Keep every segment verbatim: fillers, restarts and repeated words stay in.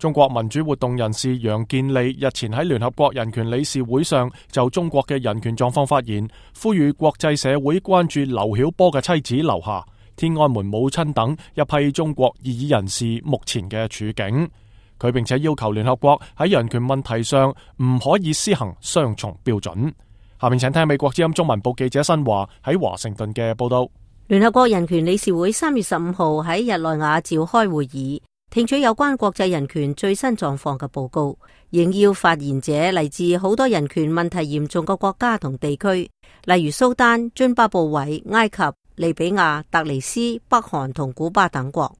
中國民主活動人士楊健利日前喺聯合國人權理事會上就中國嘅人權狀況發言，呼籲國際社會關注劉曉波嘅妻子劉霞、天安門母親等一批中國異議人士目前嘅處境。佢並且要求聯合國喺人權問題上唔可以施行雙重標準。下面請聽美國之音中文部記者新華喺華盛頓嘅報道。聯合國人權理事會三月十五號喺日內瓦召開會議，聽取有關國際人權最新狀況嘅報告。應邀發言者嚟自好多人權問題嚴重嘅國家同地區，例如蘇丹、津巴布韋、埃及、利比亞、突尼斯、北韓同古巴等國。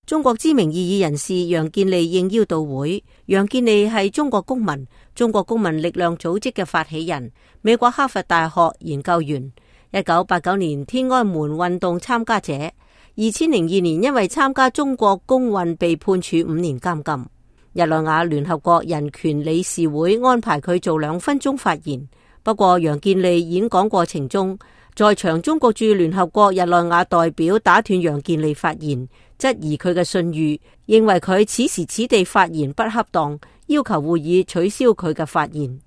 中國知名異議人士楊健利應邀到會。楊健利係中國公民、中國公民力量組織嘅發起人，美國哈佛大學研究員，一九八九年天安門運動參加者，二千零二年因為參加中國公運被判處五年監禁。日內瓦聯合國人權理事會安排佢做兩分鐘發言，不過楊健利演講過程中，在場中國駐聯合國日內瓦代表打斷楊健利發言，質疑佢嘅信譽，認為佢此時此地發言不恰當，要求會議取消佢嘅發言。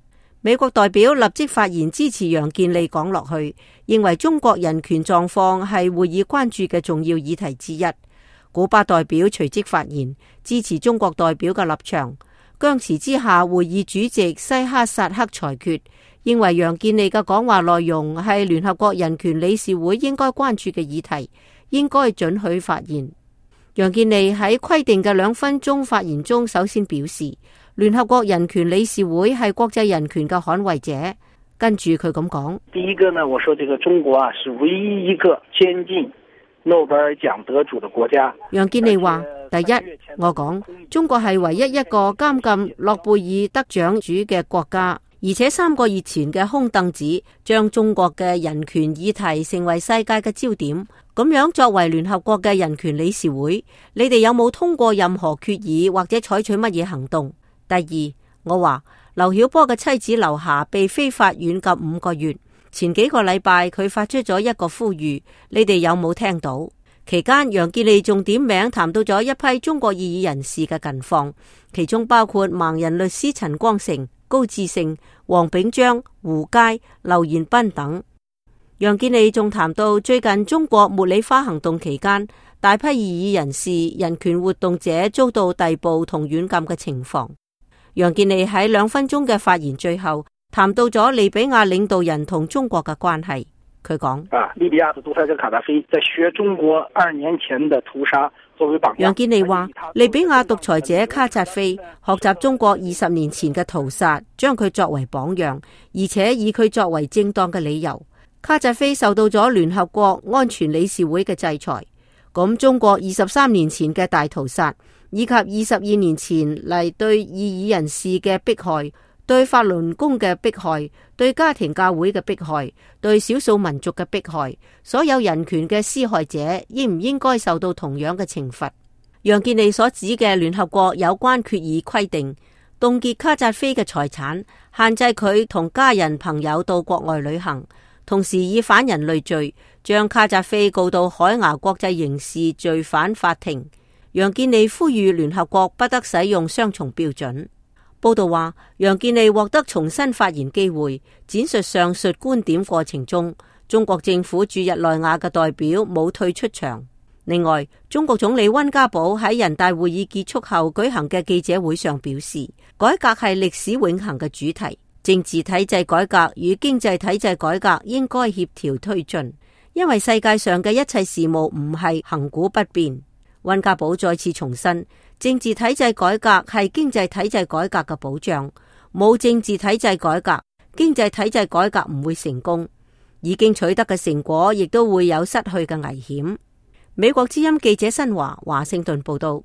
美國代表立即發言支持楊健利講落去，認為中國人權狀況係會議關注嘅重要議題之一。古巴代表隨即發言，支持中國代表嘅立場。僵持之下，會議主席西哈薩克裁決，認為楊健利嘅講話內容係聯合國人權理事會應該關注嘅議題，應該准許發言。楊健利喺規定嘅兩分鐘發言中，首先表示聯合國人權理事會係國際人權嘅捍衛者。跟住佢咁講：第一個呢，我說這個中國啊，是唯一一個監禁諾貝爾獎得主的國家。楊健利話：第一，我講中國係唯一一個監禁諾貝爾得獎主嘅國家，而且三個月前嘅空凳子將中國嘅人權議題成為世界嘅焦點。咁樣作為聯合國嘅人權理事會，你哋有冇通過任何決議或者採取乜嘢行動？第二，我話劉曉波嘅妻子劉霞被非法軟禁五個月，前幾個禮拜佢發出咗一個呼籲，你哋有冇聽到？期間楊健利仲點名談到咗一批中國異議人士嘅近況，其中包括盲人律師陳光誠、高志勝、黃炳章、胡佳、劉延斌等。楊健利仲談到最近中國茉莉花行動期間，大批異議人士、人權活動者遭到逮捕同軟禁嘅情況。楊健利喺兩分鐘嘅發言最後談到咗利比亞領導人同中國嘅關係。佢講：啊，利比亞嘅獨裁者卡扎菲在學中國二年前的屠殺作為榜樣。楊健利話：利比亞獨裁者卡扎菲學習中國二十年前嘅屠殺，將佢作為榜樣，而且以佢作為正當嘅理由。卡扎菲受到咗聯合國安全理事會嘅制裁。咁中國二十三年前嘅大屠殺，以及二十二年前嚟對異議人士嘅迫害，對法輪功嘅迫害，對家庭教會嘅迫害，對少數民族嘅迫害，所有人權嘅施害者應唔應該受到同樣嘅懲罰？楊健利所指嘅聯合國有關決議規定，凍結卡扎菲嘅財產，限制佢同家人朋友到國外旅行，同時以反人類罪將卡扎菲告到海牙國際刑事罪犯法庭。楊健利呼籲聯合國不得使用雙重標準。報道話，楊健利獲得重新發言機會，展述上述觀點過程中，中國政府駐日內瓦嘅代表冇退出場。另外，中國總理溫家寶喺人大會議結束後舉行嘅記者會上表示，改革係歷史永恆嘅主題，政治體制改革與經濟體制改革應該協調推進，因為世界上嘅一切事務唔係亘古不變。溫家寶再次重申，政治體制改革係經濟體制改革嘅保障，冇政治體制改革，經濟體制改革唔會成功，已經取得嘅成果亦都會有失去嘅危險。美國之音記者新華華盛頓報道。